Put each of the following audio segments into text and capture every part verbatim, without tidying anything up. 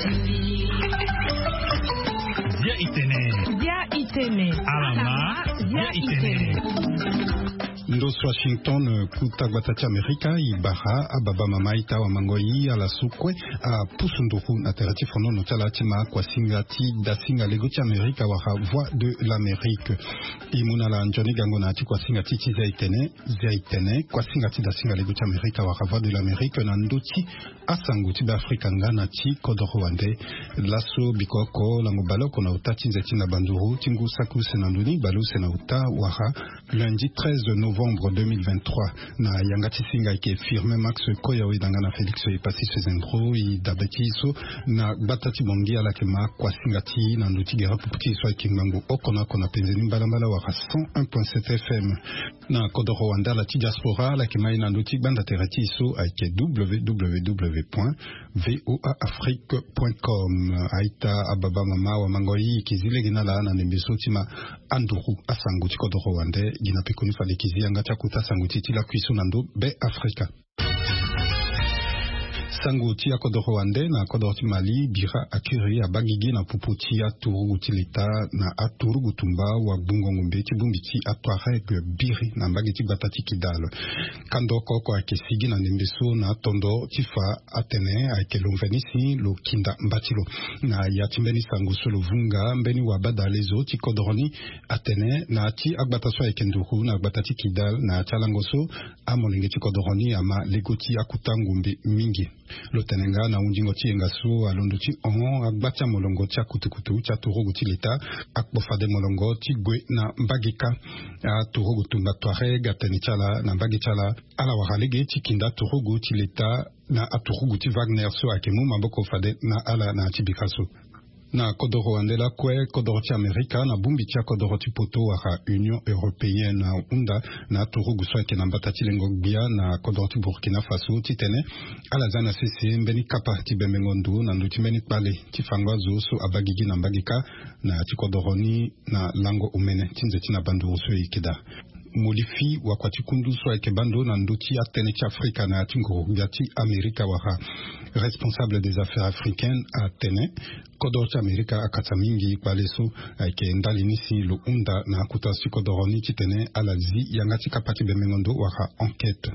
Bia itene. Bia itene. Alama. Bia itene. Ndos Washington, kuta gbata ti Amerika, i bara ababa mama ita wa mango i ala so kue apusu nduru na tere ti fonono ti ala ti ma kuasinga ti dasinga lego ti Amerika wala Voix de l'Amérique. I mu na ala nzoni gango na ya ti kuasinga ti ti zia itene, zia itene, kuasinga ti dasinga lego ti Amerika wala Voix de l'Amérique na ndö ti asango ti Beafrika nga na ti kodoro wande. Laso biko oko lango baleoko na ota ti nze ti na banduru ti ngu saki use na ndoni baleuse na ota wala lundi treize novembre deux mille vingt-trois. Na yanga ti singa ayeke Firmin Max Koya, weda nga na Félix Epassis Fezembro, i dabe ti so na gbata ti Bangui ala yeke ma kuasinga ti na ndö ti gere pupu ti so ayeke ngbangbo oko na oko na penze ni mbalambala wala cent un point sept F M. Na kodoro wande ala ti diaspora ala yeke ma ye na ndö ti gbanda tere ti so ayeke W W W point V O A Afrique point com. Aita ababa mama wa mango i yeke zi lege na ala na ndembe so ti ma anduru asango ti kodoro wande. Gi na pekoni fade yeke zi yanga ti akuta sango ti e ti lakui so na ndö Beafrika. Sango ti akodoro wande na kodoro ti Mali, bira akiri abagigi na popo ti aturugu ti leta na aturugu tumba wa gbungo ngombe ti bongbi ti atuareg biri na mbage ti gbata ti Kidal. Kando oko oko ayeke sigi na ndembe so na atondo ti fa atene ayeke lo mveni si lo kinda mba ti lo. Na ya ti mbeni sango so lo vunga, mbeni wabadale zo ti kodoro ni atene na ya ti agbata so ayeke nduru na gbata ti Kidal, na ya ti alango so amolenge ti kodoro ni ama lego ti akuta ngombe mingi. Lo tene nga na hundingo ti yenga so alondo ti hon agba ti amolongo ti akutukutu ti aturugu ti leta akpo fade molongo ti gue na mbage kâ. Aturugu tumba Touareg atene ti ala na mbage ti ala, ala wara lege ti kinda aturugu ti leta na aturugu ti Wagner so ayeke mu maboko fade na ala na ya ti bika so. Na kodoro wande lakue, kodoro ti Amerika na bongbi ti akodoro ti poto wala Union Européenne ahunda na aturugu so ayeke na mbata ti lengo gbia na kodoro ti Burkina Faso titene ala za na sese mbeni kapa ti bembengo ndo na ndö ti mbeni kpale ti fango azo so abagigi na mbage kâ na ya ti kodoro ni na lango omene ti nze ti na banduru so e yeke daa. Molifi wakua ti kundu so ayeke baa ndo na ndö ti atënë ti Afrika na ya ti nguru-gbia ti Amerika wala responsable des affaires africaines atene kodoro ti Amerika akata mingi kpale so ayeke ndali ni si lo hunda na akota so ti kodoro ni titene ala zi yanga ti kapa ti bembengo ndo wala enquête.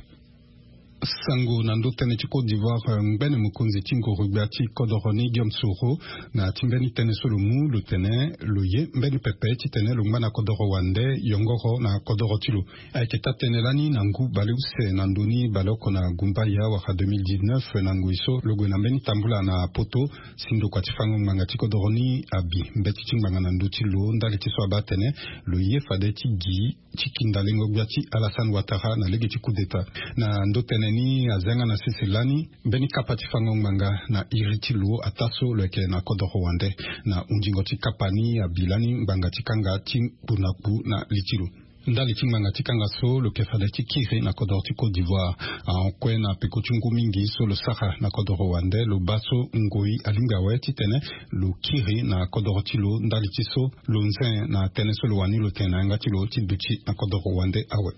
Sango na ndö tënë ti Côte d'Ivoire, eh, ngbene mokonzi ti nguru-gbia ti kodoro ni Guillaume Soro, na ya ti mbeni tënë so lo mu lo tene lo ye mbeni pepe titene lo ngba na kodoro wande yongoro na kodoro ti lo. Ayeke taa-tënë lani na ngu baleuse na ndoni baleoko na gumbaya wala deux mille dix-neuf na ngoi so lo gue na mbeni tambula na poto si ndokua ti fango ngbanga ti kodoro ni abi mbeti ti ngbanga na ndö ti lo ndali ti so abaa atene lo ye fade ti gi ti kinda lengo-gbia ti Alassane Ouattara na lege ti coup d'État. Na ndö tënë ni aza yanga na sese lani mbeni kapa ti fango ngbanga na iri ti lo ataa so lo yeke na kodoro wande. Na hundingo ti kapa ni abi lani ngbanga ti kanga ti kpu na kpu na li ti lo. Ndali ti ngbanga ti kanga so lo yeke fade ti kiri na kodoro ti Côte d'Ivoire. Ahon kue na peko ti ngu mingi so lo sara na kodoro wande lo baa so ngoi alingbi awe titene lo kiri na kodoro ti lo ndali ti so lo nze na tënë so lo wani lo tene na yanga ti lo ti duti na kodoro wande awe.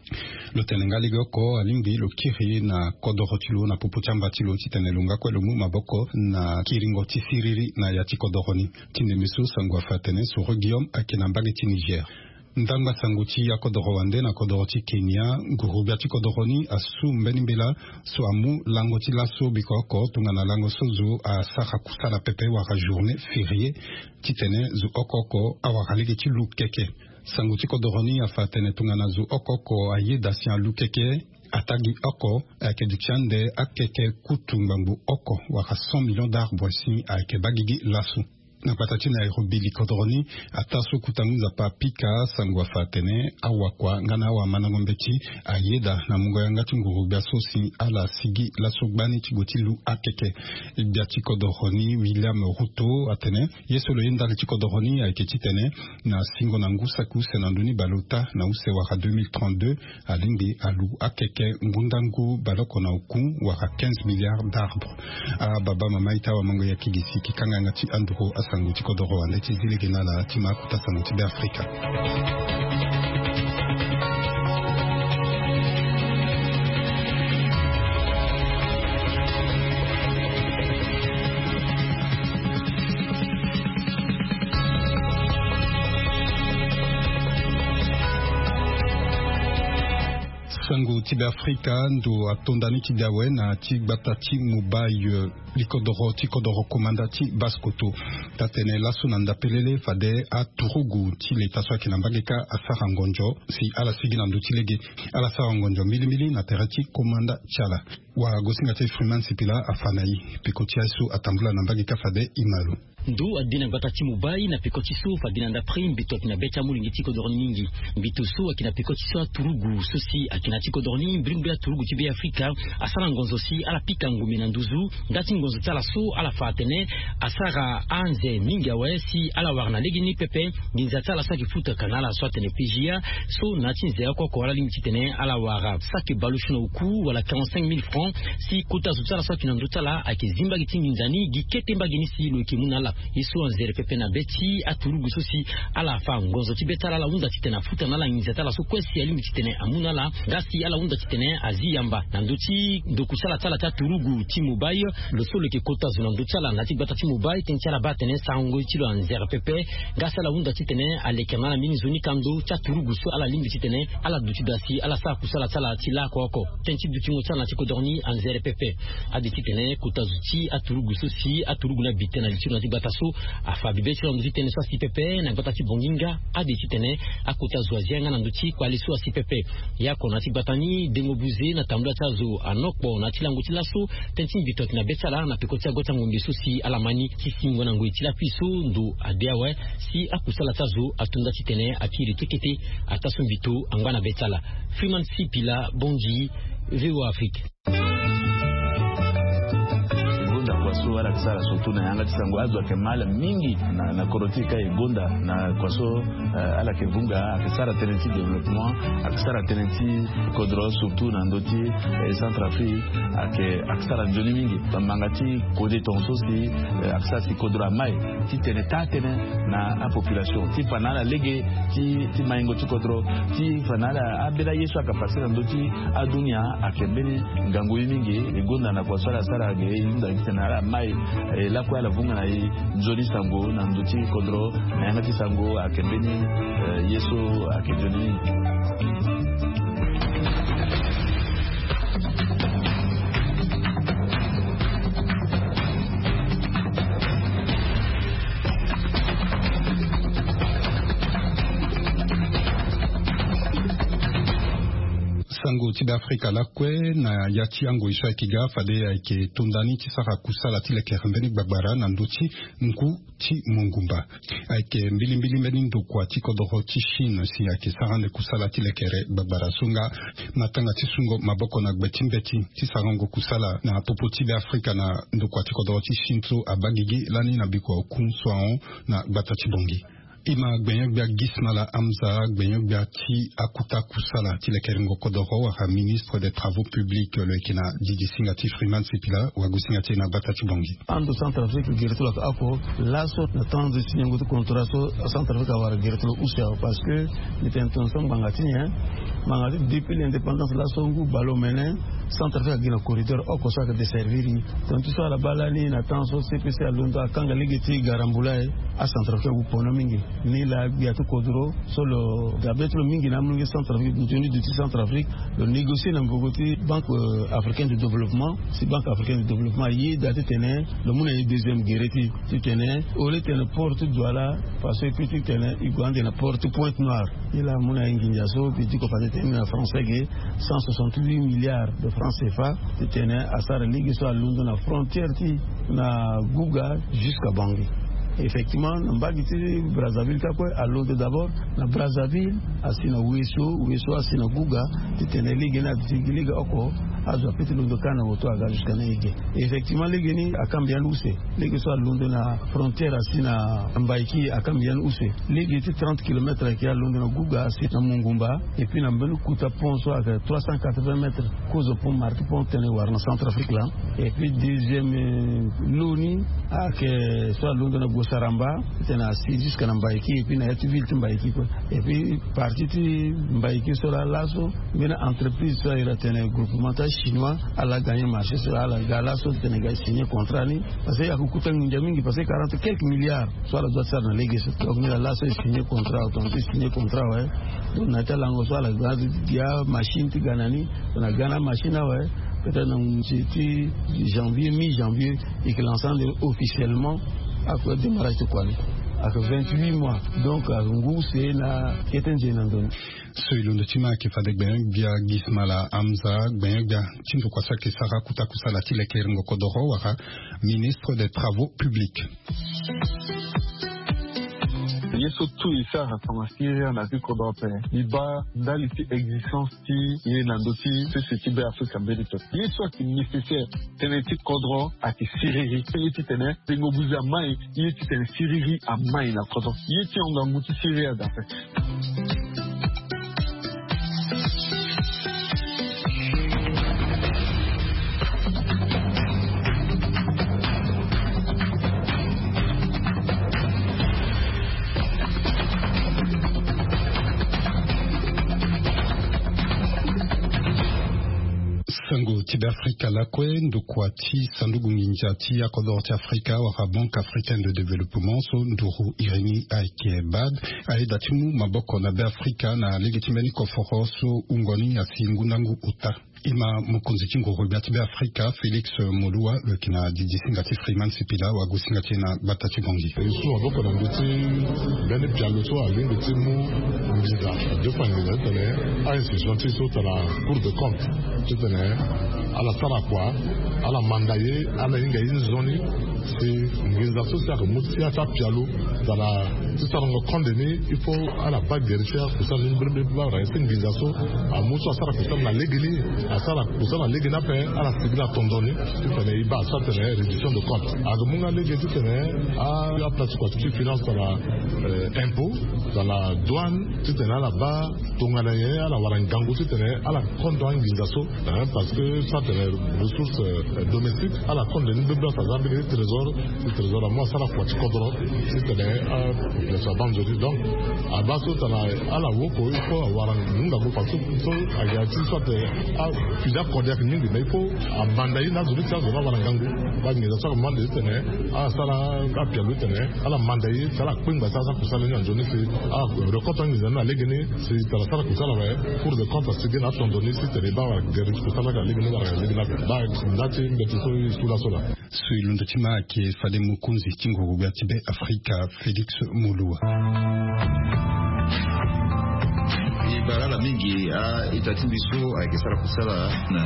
Lo tene nga legeoko alingbi lo kiri na kodoro ti lo na popo ti amba ti lo titene lo nga kue lo mu maboko na kiringo ti siriri na ya ti kodoro ni. Ti ndembe so sango afa atene Soro Guillaume ayeke na mbage ti Niger. Ndangba sango ti akodoro wande na kodoro ti Kenya, nguru-gbia ti kodoro ni asu mbeni mbela so amu lango ti laso biko oko tongana lango so zo asara kusala pepe wala journée fériée titene zo oko oko awara lege ti lu keke. Sango ti kodoro ni afa atene tongana zo oko oko ayeda si alu keke, ataa gi oko ayeke duti ande akeke kutu ngbangbo oko wala cent millions d'arbres si ayeke baa gigi laso. Na gbata ti Nairobi likodoro ni ataa so kota ngu nzapa apika sango afa atene awakua nga na awamandango mbeti ayeda na mungo yanga ti nguru-gbia so si ala sigi laso gbani ti gue ti lu akeke. Gbia ti kodoro ni William Ruto atene ye so lo ye ndali ti kodoro ni ayeke titene na singo na ngu saki use na ndoni baleota na use wala deux mille trente-deux alingbi alu akeke ngundangu baleoko na oku wala quinze milliards d'arbres. Ababa mama ita wamango ya kigisi kikanga yanga ti anduru asango ti kodoro wande ti zi lege na ala ti ma akota sango ti Beafrika. Sango ti Beafrika, ndo atonda ni ti de awe na ti gbata ti Mobay, likodoro ti kodoro komanda ti Basse-Kotto. Taa-tene laso na ndapelele fade aturugu ti leta so ayeke na mbage kâ asara ngonzo si ala sigi na ndö ti lege. Ala sara ngonzo mbilimbili na tere ti komanda ti ala. Wagosinga ti Freeman Sipila afa na e. Peko ti aye so atambula na mbage kâ fade e ma lo. Ndo ade na gbata ti Mobay na peko ti so fade na ndapre mbito ayeke na be ti amolenge ti kodoro ni mingi. Mbito so ayeke na peko ti so aturugu so si ayeke na ti kodoro ni mbrimbri aturugu ti Beafrika asara ngonzo si ala pika ngombe na nduzu. Nda ti ngonzo ti ala so ala fa atene asara anze mingi awe si ala wara na legeni pepe. Nginza ti ala so ayeke futa ka na ala so atene P G A so na ya ti nze oko oko ala lingbi titene ala wara saki baleusio na oku wala quarante-cinq mille francs si kota zo ti ala so ayeke na ndö ti ala ayeke zi mbage ti nginza ni gi kete mbage ni si lo yeke mu na ala. Ye so anzere pepe na be ti aturugu so si ala fa ngonzo ti be ti ala ala hunda titene afuta na ala nginza ti ala so kue si alingbi titene amu na ala. Nga si ala hunda titene azi yamba na ndö ti ndoku sala ti ala ti aturugu ti Mobay. Lo so lo yeke kota zo na ndö ti ala na ya ti gbata ti Mobay tënë ti ala baa atene sarango ti lo anzere pepe. Nga si ala hunda titene alekere na ala mbeni nzoni kando ti aturugu so ala lingbi titene ala duti daa si ala sara kusala ti ala ti laoko oko. Tënë ti dutingo ti ala na ti kodoro ni anzere pepe. Ade titene kota zo ti aturugu so si aturugu ni abi tënë na li ti lo na ti gbata so afa bibe ti lo na ndö ti tënë so asi pepe na gbata ti Bongi nga ade titene akota zo azi yanga na ndö ti kpale so asi pepe. Ye oko na ti gbata ni dengo buze na tambula ti azo anokpo na ti lango ti laso. Tënë ti mbito ayeke na be ti ala na peko ti ago ti angombe so si ala ma ni ti singo na ngoi ti lakui so ndo ade awe si akusala ti azo atonda titene akiri kekete. Ataa so mbito angba na be ti ala. Freeman Sipila, Bongi, V O A Afrique. Gonda kua so ala yeke sara surtout na yanga ti sango azo ayeke ma ala mingi na, na kodro ti e ka e gonda na kua so, eh, ala yeke vunga ayeke sara tënë ti développement, ayeke sara tënë ti kodro surtout na ndö ti, eh, Centrafrique ayeke, ayeke sara nzoni mingi. Bambanga ti kode tongaso si, eh, ayeke sara si kodro ama e titene taa tënë na apopulation ti fa na ala lege ti, ti maingo ti kodro ti fa na ala abela ye so ayeke pase na ndö ti adunia ayeke mbeni ngangu ye mingi. E gonda na kua so ala sara ge e hunda titene ala ma e, eh, lakue ala vunga na e nzoni sango na ndö ti kodro na yanga ti sango ayeke mbeni, eh, ye so ayeke nzoni mingi. Sango ti Beafrika lakue na ya ti angoi so ayeke ga fade ayeke tonda ni ti sara kusala ti lekere mbeni gbagbara na ndö ti ngu ti mongumba. Ayeke mbilimbili mbeni ndokua ti kodoro ti Chine si ayeke sara ande kusala ti lekere gbagbara so nga matanga ti sungo maboko na gbe ti mbeti ti sarango kusala na popo ti Beafrika na ndokua ti kodoro ti Chine so abaa gigi lani na bikua oku so ahon na gbata ti Bongi. E ma gbenyo-gbia Gismala Hamza, gbenyo-gbia ti akuta kusala ti lekerengo kodoro wala ministre des travaux publics lo yeke na didi singa ti Freeman Sipila, wagosinga ti e na gbata ti Bongi. Ando Centrafrique gere ti lo ayeke oko laso na temps ti niongo ti contrat so Centrafrique awara gere ti lo use awe parce que mbi tene tongaso ngbanga ti nyen? Ngbanga ti depuis l'indépendance laso ngu baleomene Centrafrique agi na corridor oko so ayeke desservir e. Tongana ti so ala baa lani na temps so C P C alondo akanga lege ti garambula e, aCentrafrique agu pono mingi. Ni laa gbia ti kodro so lo dabe ti lo mingi na amolenge Centrafrique, nzoni duti Centrafrique, lo négocier na mboko ti Banque, euh, africaine de développement. Si Banque africaine de développement ayeda titene lo mu na e deuxième gere ti, titene au lieu titene port ti Douala, parce que titene e gue ande na port ti Pointe-Noire. Ni laa amu na e nginza so mbi diko fa titene na français ge cent soixante-huit milliards de francs C F A titene asara lege so alondo na frontière ti na Gouga jusqu'à Bangui. Effectivement na mbage ti Brazzaville kâ kue alondo d'abord na Brazzaville, asi na Ouesso, Ouesso asi na Gouga, titene lege ni aduti gi lege oko, azo ape ti londo kâ na hoto aga jusqu'à na e ge. Effectivement lege ni akamba yandi use. Lege so alondo na frontière asi na Mbaïki akamba yandi use. Lege ti trente kilomètres ayeke alondo na Gouga asi na Mongumba. Et puis na mbeni kuta pont so ayeke trois cent quatre-vingts mètres, kozo pont, marque pont tene wara na Centrafrique laa. Et puis deuxième, euh, lo ni Ayeke so alondo na Gosaramba titene asi jusque na Mbaiki, et puis na ya ti ville ti Mbaiki kue. Et puis partie ti Mbaiki so laa laso mbeni entreprise so ayeke tene groupement ti achinois ala gagner marché so laa ala ga laso titene ga signer contrat ni. Parce que ayeke kuta nginza mingi, parce que quarante quelques milliards so ala doit ti sara na lege so. Donc mbi laa laso e signer contrat, autant ti signer contrat awe. Donc na ya ti alango so ala ga dia machine ti ga na ni. Na ga na machine awe, peut-être na ngu ti janvier, mi janvier, e yeke lancer ande officiellement. Ayeke démarrage ti kua ni ayeke vingt-huit mois. Donc ayeke ngu se na kete nze na ndo ni. So e londo ti ma ayeke fade gbenyo-gbia Gismala Hamza, gbenyo-gbia ti ndokua so ayeke sara kota kusala ti lekeringo kodoro wala ministre des travaux publics. Ye so tout e sara tongana siriri na ya ti kodro ape. E baa ndali ti existence ti ye na ndö ti sese ti Be Afrika mbeni pepe. Ye so ayeke nécessaire tënë ti kodro ayeke siriri. Ye titene tengo buze amai. Ye titene siriri amai na kodro. Ye ti hon ngangu ti siriri adape. Sango ti Be Afrika lakue, ndokua ti sanduku nginza ti akodoro ti Afrika wala Banque Africaine de Développement so nduru iri ni ayeke BAD, ayeda ti mu maboko na Be Afrika na lege ti mbeni koforo so wungo ni asi ngu na ngu ota. E ma mokonzi ti nguru gbia ti Be Afrika Félix Moloua lo yeke na didi singa ti Freeman Sipila, wagosinga ti e na gbata ti Bangui. E su maboko na ndö ti mbeni pialo so alingbi ti mu nginza, deux fois nginza titene a-institution ti so tara Cour de compte titene ala sara kua, ala manda ye, ala hinga ye nzoni. Si nginza so si ayeke mu ti ya ti apialo tara ti sarango konde ni, il faut ala baa gere ti akusala ni mbirimbiri. Baa wara ye si nginza so amu so asara kusala na lege ni, asara kusala na lege ni ape, ala sigi na tondo ni titene e baa so atene réduction de compte. Ayeke mu nga lege titene a, aplatikua ti finance tara, eh, impôt, tara douane, titene ala baa tongana nyen ala wara ngangu titene ala kondo anginza so, hein, parce que so atene ressource, euh, domestique, ala kondo ni bebela, ça veut dire trésor, trésor amu asara kua ti kodro titene a population abaa nzoni. Donc abaa so tara ala woko, il faut awara ngangu parce que so ayeke ya ti so atene a fusion akode ayeke mingi, mais il faut amanda ye na azo ni ti azo ni awara ngangu. Baa nginza so amanda ye titene ala sara apialo titene ala manda ye si ala kpengba si asara kusala ni na nzoni si ala rekoto anginza ni na lege ni. Si tara sara kusala awe, Cour de compte asigi na atondo ni si tene e baa wara gere ti kusala na lege ni wala lege ni ape. Baa nda ti mbeti so e su laso laa. So e londo ti ma ayeke fade mokonzi ti nguru gbia ti Be Afrika Félix Moloua. E bara ala mingi a-ita ti mbi so ayeke sara kusala na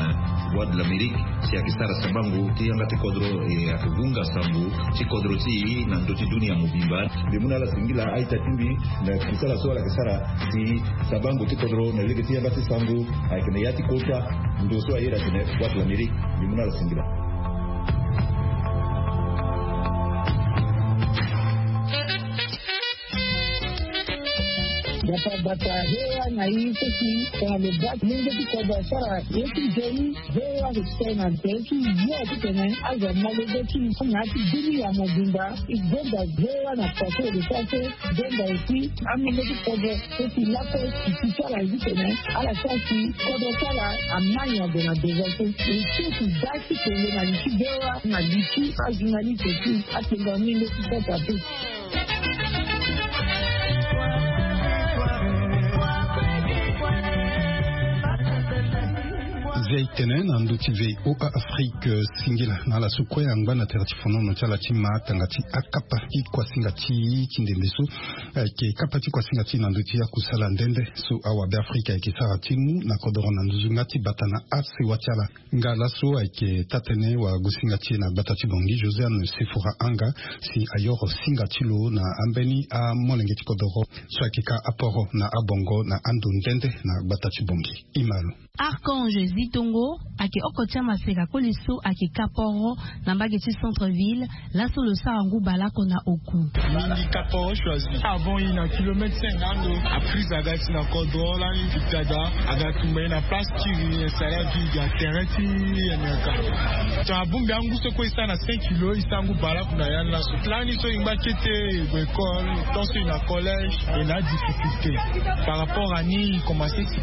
Voix de l'Amérique, si ayeke sara sabango ti yanga ti kodro, e ayeke gunga sango ti kodro ti e na ndö ti dunia mobimba. Mbi mu na ala singila a-ita ti mbi na kusala so ala yeke sara si sabango ti kodro na lege ti yanga ti sango ayeke na ya ti kota ndo so ayeda atene Voix de l'Amérique. Mbi mu na ala singila. Gbata gbata, V O A na e so si tongana lo baa ti lenge ti kodro asara ye ti nzoni, V O A ayeke tene na tere ti yo titene azo amolenge ti e na ya ti dunia mobimba. E gonda V O A na kua so e lo sara so, gonda aussi amolenge ti kodro so si lakue e si ti ala ye titene ala sara si kodro ti ala amai na ndo na devant so. E so si baa ti tene na li ti V O A na li ti ajournaliste aussi atene amolenge ti kodro ape. Zia e tene na ndö ti V O A Afrique, singila na ala so kue angba na tere ti fonono ti ala ti ma tanga ti akapa ti kuasinga ti e ti ndembe so. Eh, ayeke kapa ti kuasinga ti e na ndö ti akusala nde nde so awa Be Afrika ayeke sara ti mu na kodoro na nduzu nga ti bata na asewa ti ala. Nga laso ayeke taa-tënë wagosinga ti e na gbata ti Bangui, Josiane Sefora Anga, si ayoro singa ti lo na ambeni amolenge ti kodoro so ayeke ka aporo na abongo na ando nde nde na gbata ti Bangui. E ma lo. Archange Zito. Ngo ayeke oko ti amaseka koli so ayeke ka poro na mbage ti centre ville. Laso lo sara ngu baleoko na oku. Mingi ka poro choisi avant i na kilomètre cinq na ando. Aprise aga ti na kodro lani victada aga tumba ye na place ti ri esara vide ya terrain ti yemeka. Ton abongbi angu so kue e sara na cinq kilo e sara ngu baleoko na ya ni laso. Lani so e ngba kete e gue école tant so e na collège e na adifficulté. Par rapport à ni e commence ti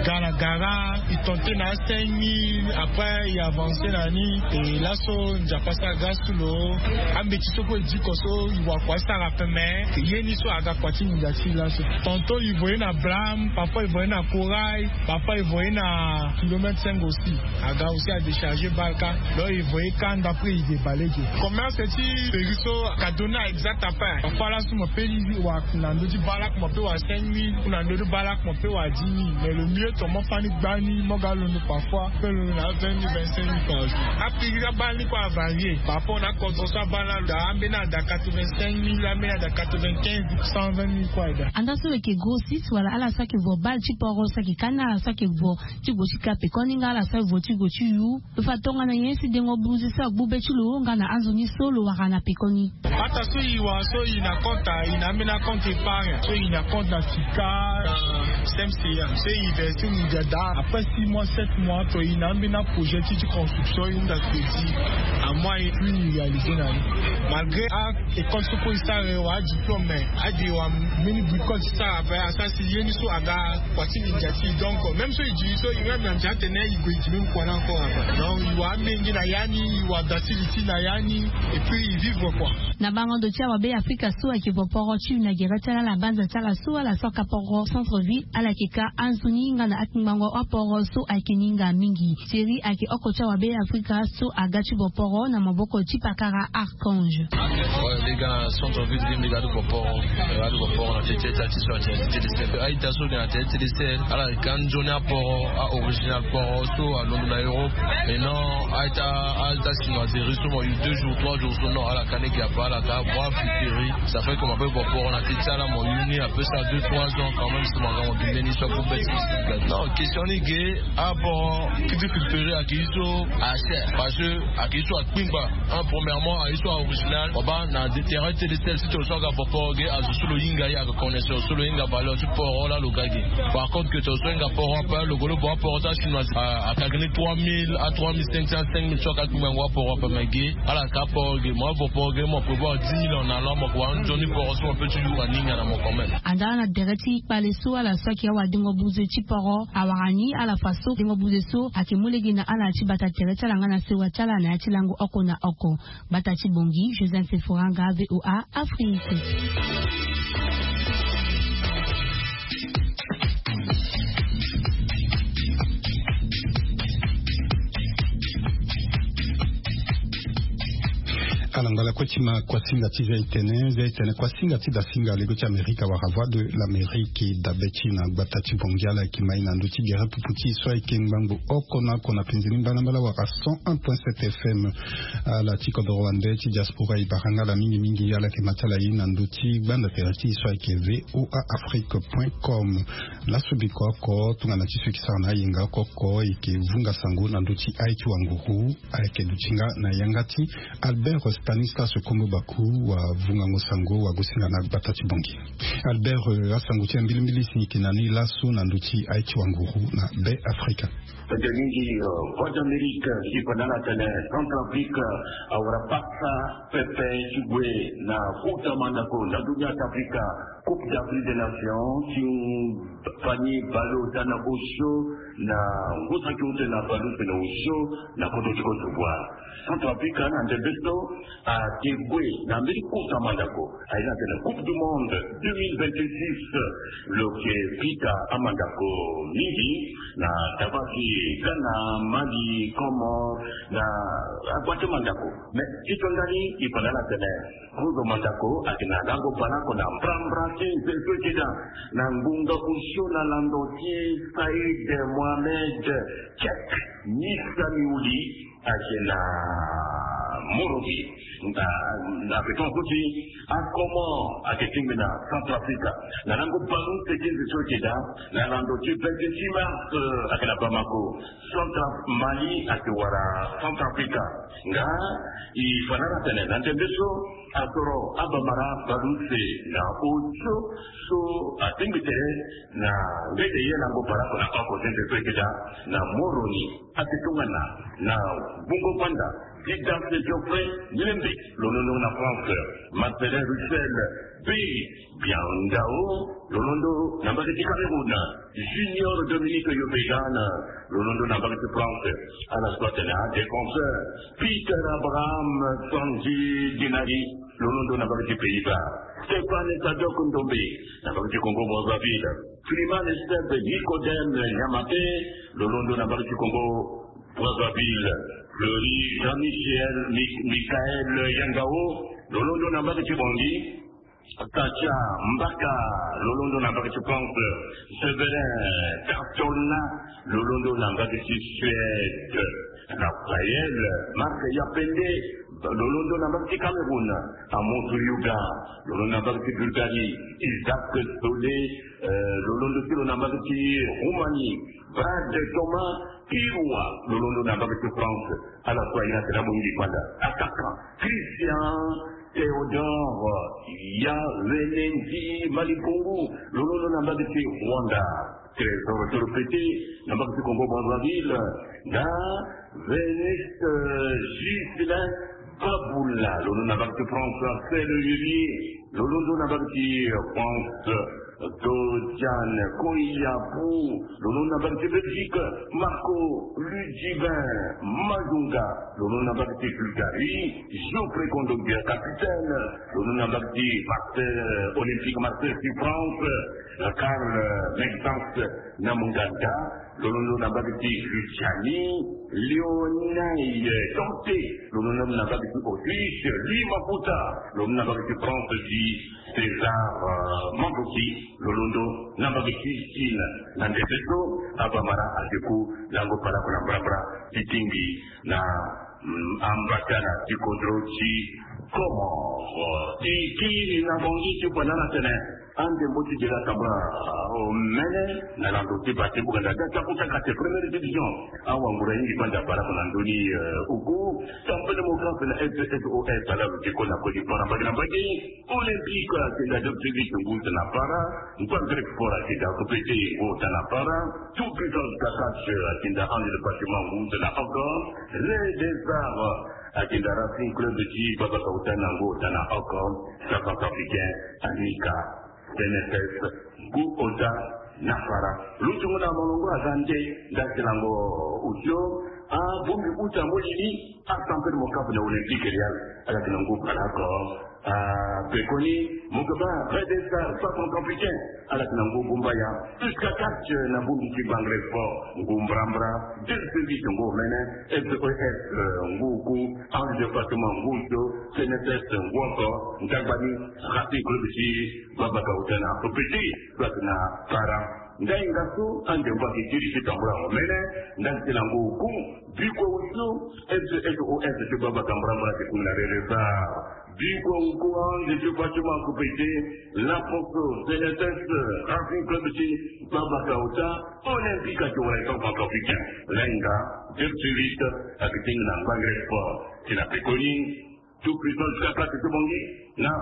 ga na gara e tente na cinq mille après e avance na ni. E laso nzapa so aga so lo ambeti so kue e diko so e wakua e sara peme. Ye ni so aga kua ti nginza ti laso. Tonton e voye na blame parfois e voye na corail. Parfois e voye na kilomètre cinq aussi. Aga aussi a décharger baleoko. Donc e voye ka ndapre e debale ge. Commerce ti péri so ka donner exact à pain parfois laso mo pe lizi wa na ndö ti baleoko mo pe wa cinq mille ou na ndö ti baleoko mo pe wa dix mille mais le mieux ton mo fani gbani mo ga londo parfois pe londo na vingt mille vingt cinq mille par jour. Apiri abale ni kue avarie par rapport na kodro so abale na lo da ambeni ada quatre-vingt cinq mille ambeni ada quatre-vingt quinze cent vingt mille kue ada. Anda so lo yeke grossiste wala ala so ayeke vo bale ti poro so ayeke ka ni ala so ayeke vo ti gue ti ka pekoni nga ala so aye vo ti gue ti yu. Lo fa tongana nyen si dengo buze so agbu be ti lo nga na azo ni so lo wara na pekoni. Ata so e wara so e na compte e na ambeni akompte épargne so e na compte na sika na semse ya so e verse ni dia da. Après six mois sept mois to e na ambeni aprojet ti ti construction e hunda crédit. Amois e puis e réalise na ni malgré a école so kue e sara e wara adiplôme mais ade e wara mbeni bricole ti sara ape asara si ye ni so aga kua ti mingi ati donc même so e di so e même na ndia atene e gue e di même kua ni encore ape. Donc e wara amenge na ya ni e wara da ti li ti na ya ni. Et puis e vivre kua. Na bango ndo ti awabe afrika so ayeke vo poro ti yu na gere ti ala na banza ti ala so ala so aka poro centre ville ala yeke ka anzoni nga na akingbango aporo so ayeke ni nga mingi. Thierry ayeke oko ti awabe afrika so aga ti vo poro na maboko ti pakara archange. Mbi ga na centre ville mbi ga ti vo poro. Mbi ga ti vo poro na tete ita ti so ati tete sel a-ita so ga na tete tete sel ala yeke anzoni aporo a-original poro so alondo na europe. Maintenant a-ita a-ita chinoiserie so mo yu deux jours trois jours so non ala ka ni gi ape ala ka voir fitiri. Ça fait que mo ape vo poro na tete ti ala mo yu ni ape sara deux trois ans quand même si mo aga mo gi mbeni so agu be ti. Non question ni ge. Aporo ki ti filtrer ayeke ye so acher parce que ayeke ye so akpingba. Un premièrement ayeke ye so a-original mo baa na terrain ti tete sel si toro so aga vo poro ge azo so lo hinga ye aga connaisseur so lo hinga valeur ti poro laa lo ga ge. Par contre ke toro so ahinga poro ape lo golo vo aporo ti achinois. Akagi ni trois mille a trois mille cinq cents cinq mille so aka kpingbango aporo ape me ge. Ala ka poro ge mo avo poro ge mo prévoir dix mille en allant mo ko wara nzoni poro so mo pe ti yura ni nga na mo quand même. Anda na dere ti kpale so ala so ayeke awadengo buze ti poro awara ni ala fa so dengo buze so ayeke mu lege na ala na ti bata tere ti ala nga na sewa ti ala na ya ti lango oko na oko. Bata ti bongi joseph sephora nga voa afrique. Ala ngala kue ti ma kuasinga ti zia etene zia etene kuasinga ti dasinga lego ti amerika wala voix de l'amérique dabe ti na gbata ti bongi ala yeke mai na ndö ti gere pupu ti e so ayeke ngbangbo oko na oko na penze ni mbalambala wala cent un point sept fm. Ala ti kodoro wande ti diaspora e bara nga ala mingimingi ala yeke ma ti ala ye na ndö ti gbanda tere ti e so ayeke voa afrique point com. Laso biko oko tongana ti so e yeke sara na ayenga oko oko e yeke vunga sango na ndö ti aye ti wanguru. Ayeke duti nga na yanga ti albert stanislas kombo baku wavungango sango wagosinga na gbata ti bongi. Albert, asango ti ambilimbili si ni yeke na ni laso na ndö ti aye ti wanguru na be afrika. Ete mingi. Voix d'amérique si pendant la tene centrafrique awara pasa pepe ti gue na kota mandako na dunia ti afrika. Coupe d'afrique des nations ti fani balo tana osio na ngusa ti ute na balo tene osio na koto ti koto voire. Centrafrique na ndembe so ate gue na mbeni kota mandako aye na tene coupe du monde deux mille vingt-six. Lo ke pita amandako mingi na tabaki ghana, mali, comores na agbate mandako. Mais ti to ndani e fa na ala tene kozo mandako ake na lango balako na mbrambra ti nze so eke daa na ngbonga osio na lando ti said mohamed. Check misa miuli ake na Moroni. Na na beton so ti akomo ayeke tingbi na Centrafrique. Na lango ballon ti eke nze so ayeke daa na lando ti vingt-six mars, ayeke na Bamako. Centra Mali ayeke wara Centrafrique. Nga e fa na ala tene na ndembe so asoro abamara baleuse na osio so atingbi tene na ngete ye lango baleoko na oko ti nze so ayeke daa na Moroni. Ayeke tongana na bungo panda ti Dance Geoffrey Lembe, lo londo na France. Marcelin Russell, Bi Biandao, lo londo na mbage ti Cameroun. Junior Dominique Yobegan, lo londo na mbage ti France. Ala so atene adéfenseur Peter Abraham Sanji Dinari, lo londo na mbage ti Pays-Bas. Stéphane Sadok Ndombe, na mbage ti Congo Brazzaville. Freeman Step Nicodème Niamate, lo londo na mbage ti Congo Brazzaville. Fleury Jean-Michel Mi- Michael Yangao, lo londo na mbage ti Bongi. Sacha Mbaka, lo londo na mbage ti France. Severin Cartona, lo londo na mbage ti Suède. Raphaël Marc Yapende, lo londo na mbage ti Cameroun. Amos Yuga, lo londo na mbage ti Bulgarie. Isaac Sole, eh, lo londo ti lo na mbage ti Roumanie. Brad Thomas Kirwa, lo londo na mbage ti France. Ala so aye na tene amu mingi panda. Attaquant Christian Théodore Yawenendi Malipongu, lo londo na mbage ti Rwanda. Trésor Toropete, na mbage ti Congo Brazzaville. Na Veniste, eh, Ghislain Babula, lo londo na mbage ti France. Axel Yuri, lo londo na mbage ti France. Dodiane Koyapu, lo londo na mbage ti Belgique. Marco Ludivin Mazunga, lo londo na mbage ti Bulgarie. Geoffrey Kondogbia, capitaine, lo londo na mbage ti Marseille, Olympique Marseille ti France. Karl Maxence Namunganda, lo londo na mbage ti Lituanie. Leonel Tonte, lo londo na mbage ti Autriche. Louis Maputa, lo londo na mbage ti France ti César, euh, Mamboki, lo londo na mbage ti Chine. Na ndembe so abamara adeku lango baleoko na mbrambra ti tingbi na, mm, ambatana ti kodro ti Comores. E kiri na Bangui ti fa na ala tene andembo ti dela tambula omene na lando ti bate buganda da takuta kate première division. Awangura yingi panda baleoko na ndoni, eh, oku. Tempête Mocaf na S S O S ala lo ti ko na koli para mbage na mbage. Olympique ayeke nda deux plus huit ngu ota na para. Nkuan Grec Sport ayeke nda K P T ngu ota na para. Tout Puissance Kakach ayeke nda Ange de Fatima ngu ota na oko. Rey des Arts ayeke nda Racing Club ti Baba Kaota na ngu ota na oko. Centrafricain Anika C N S S ngu ota na para. Lo ti ngu na molongo aza nde nda ti lango osio. Abongbi uta molili. A Tempête Mocaf na Olympique Real ala yeke na ngu baleoko. Ah, pekoni mo yeke baa Rey des Arts, centrafricain, ala yeke na ngu gumbaya. Jusqu'à Catch na bongbi ti Bangre Sport ngu mbrambra. Deux service ngu omene. S O S, eh, ngu oku. Ange de Fatima ngu osio. C N S S ngu oko. Ndagbani Racing Club ti Baba Kaota na K P T so ayeke na para. Ndainga so andembo ayeke kiri ti tambula omene. Nda ti lango oku. Bikua osio, S S O S ti Baba Kambrambra ti Kuna Rereza. Bikua oku, Ange ti Fatima Kupete, Laposo, C N S S, Racing Club ti Baba Kaota, Olympique ti wara etan centrafricain. Lainga, deux sur huit, ayeke tingbi na Ngbangre Sport. Ti na pekoni, Tout Puissant jusqu'à Kate ti Bongi, na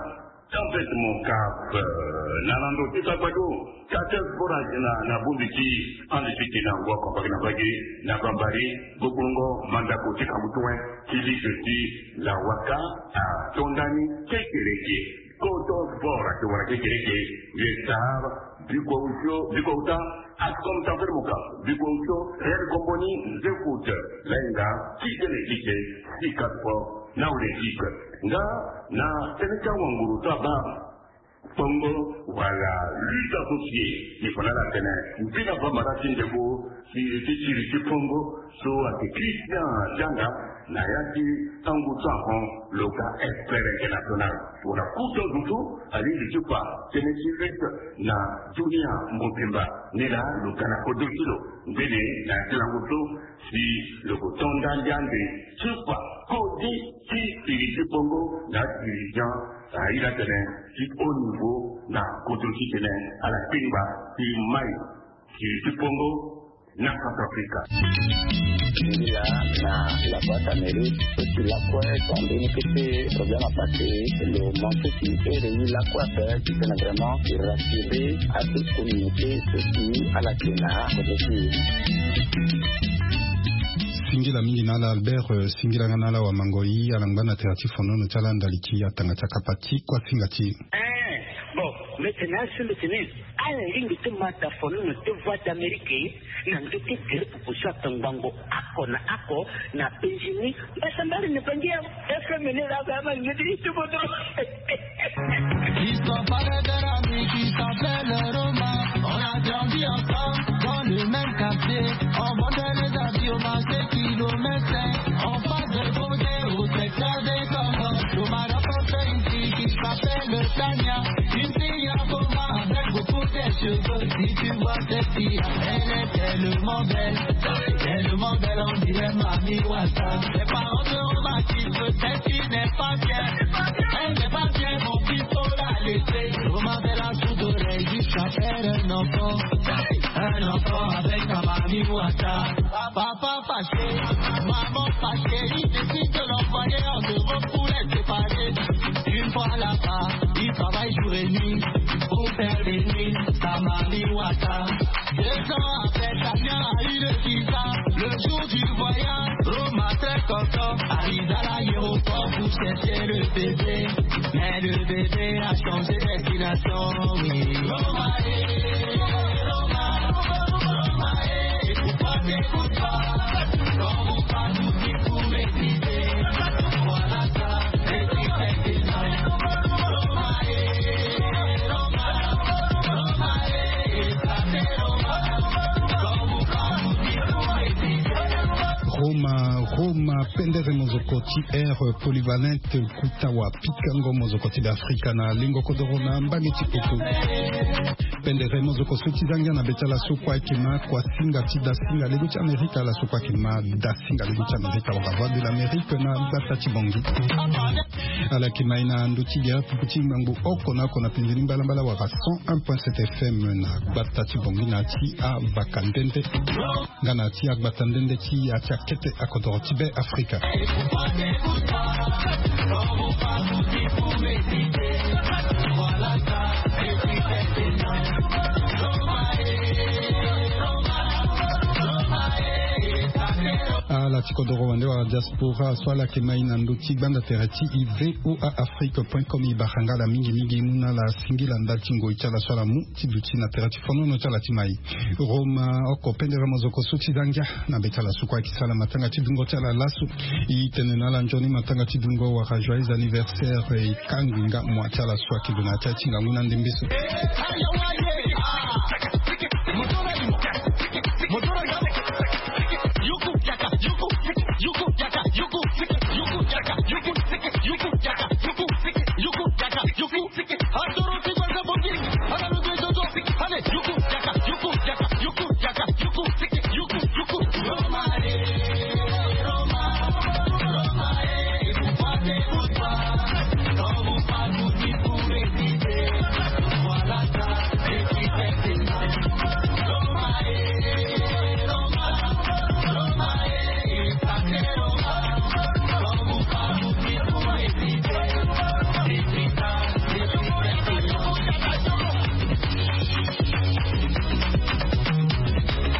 Tempête Mocaf, euh, na lando ti Sagbado. Kate Sport ayeke na, na bongbi ti ande ti tene ango ako mbage na mbage, na Bambari, Gbogbongo, Mandako ti Kamutue, ti ligue ti Lawaka, ato ndani, kekereke. Koto Sport ayeke wara kekereke, Vieux Star, Bikua Osio, Bikua Uta, Ascom Tempête Mocaf, Bikua Osio, Real Komboni, Zefoot, Lainga, Kitene Ike, Sika Sport, na Olympique. Nga na tënë ti awanguru so abaa kpongo wala lutte associée, ni fa na ala atene mbi na bamara ti ndembo ti, ti siri ti kpongo so ayeke Christian Dianga, Na ya ti tango ti ahon lo ga expert international. Wala kuto dutu alingbi ti kpa tënë ti lutte na dunia mobimba. Ni laa lo ga na kodro ti lo ngbene na ya ti lango so si lo ko to nda ndia ande ti kpa kodi ti fini ti bongo na dirigeant. Aye atene ti haut niveau na kodro ti tene ala kpingba ti mai fini ti bongo na Centrafrique. Nzila na la boîte à mairie, so si lakue so ambeni kete problème à passer, lo manque ti ere ni lakue ape ti tene vraiment ti rassurer à toute communauté so si ala tene na kote ti. Singila mingi na ala Albert, eh, singila nga na ala wamangoi, ala ngba na tere ti fonono ti ala ndali ti atanga ti akapa ti kuasinga ti. Eh, bon, mete na asu mete ni. Ala lingbi ti ma da fonono ti Voix d'Amérique na ndö ti gere pupu so atongbango oko na oko na Benjini. Mbasambala na bangi ya F M ni la ba ma ngedi ti bodo. Ils sont pas des amis qui s'appellent Roma. On a grandi ensemble dans le même quartier. On vendait les habits au marché kilomètre. En face de Brodé, au secteur des Comores. Roma rencontre une fille qui s'appelle Tania. Une fille à Roma avec beaucoup de cheveux. Si tu vois cette fille, elle est tellement belle. Tellement belle, on dirait Mami Wata. Mes parents de Roma qui peut-être qui n'est pas bien. Elle n'est pas bien, mon fils, faut la laisser. Roma fait la sourde oreille jusqu'à faire un enfant. Un enfant avec Mami Wata. Papa fâché, maman fâchée, il décide de l'envoyer en Europe pour les séparer. Une fois là-bas, il travaille jour et nuit pour faire venir sa Mami Wata. Deux ans après, Damien a eu le visa. Le jour du voyage, Roma très content arrive à l'aéroport pour chercher le bébé. Mais le bébé a changé de destination, oui. Roma, eh, Roma, Roma, eh, pourquoi t'écoutes pas? Quand vous parlez, vous dites, vous m'excitez. Voilà ça, c'est qui fait que ça. Roma, eh, Roma, Roma, eh, ça c'est Roma. Quand vous parlez, vous dites, vous m'excitez. Roma, Roma, pendere mozoko ti air polyvalente, kuta wa pikango mozoko ti Afrika na lingo kodoro na mbage ti kutu. Pendere mozoko so ti zangia na be ti ala so kue ayeke ma kuasinga ti dasinga lego ti Amerika, ala so kue ayeke ma dasinga lego ti Amerika wala Voix de l'Amérique na gbata ti Bangui. Ala yeke ma e na ndö ti gere pupu ti ngbangbo oko na oko na penze ni mbalambala wala cent un point sept F M na gbata ti Bangui na ya ti avaka ndende. Nga na ti agbata ndende ti ya ti akete akodoro ti Be Afrika. Ala ti kodoro wande wala diaspora so ala yeke ma e na ndö ti gbanda tere ti e V O A Afrique point com, e bara nga ala mingi mingi mu na ala singila ndali ti ngoi ti ala so ala mu ti duti na tere ti fonono ti ala ti mai. Roma oko pendere mozoko so ti zangia na be ti ala so kue ayeke sara matanga ti dungo ti ala laso. E tene na ala nzoni matanga ti dungo wala joyeux anniversaire, e kangbi nga mua ti ala so ayeke gue na ya ti aye ti ngangu na ndembe so.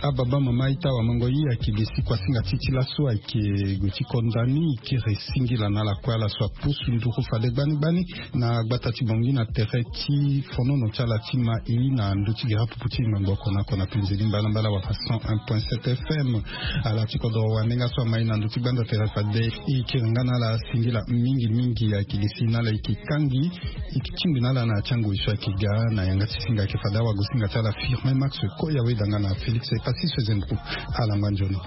Ababa mama ita wa mango yi ayeke gi si kuasinga ti ti laso ayeke gue ti konda ni e kiri singila na ala kue ala so apusu nduru fade gbani gbani na gbata ti Bangui na tere ti fonono ti ala ti ma e na ndö ti gere apupu ti ngbangbo oko na oko na penze ni mbalambala wala cent un point sept F M. Ala ti kodoro wande nga so ama e na ndö ti gbanda tere fade e kiri nga na ala singila mingi mingi ayeke gi si na ala e yeke kangbi e yeke tingbi na ala na ya ti angoi so ayeke ga na yanga ti singa ayeke fade awagosinga ti ala Firmin Max Koya weda nga na Félix Epassis. Zempo, alangba nzoni.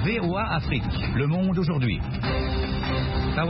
V O A Afrique, le monde aujourd'hui.